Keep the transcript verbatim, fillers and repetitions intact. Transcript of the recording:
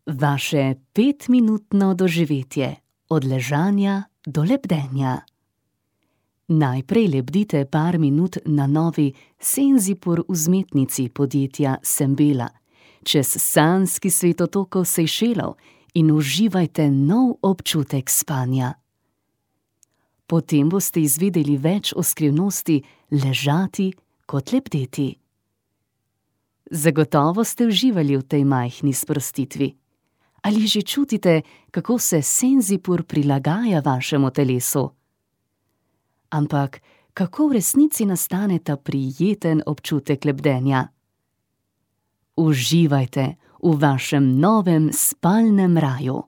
Vaše petminutno doživetje od ležanja do lebdenja. Najprej lebdite par minut na novi Senzipur vzmetnici podjetja Sembela, čez sanjski svet otokov Sejšelov in uživajte nov občutek spanja. Potem boste izvedeli več o skrivnosti ležati kot lebdeti. Zagotovo ste uživali v tej majhni sprostitvi. Ali že čutite, kako se Senzipur prilagaja vašemu telesu? Ampak kako v resnici nastane ta prijeten občutek lebdenja? Uživajte v vašem novem spalnem raju.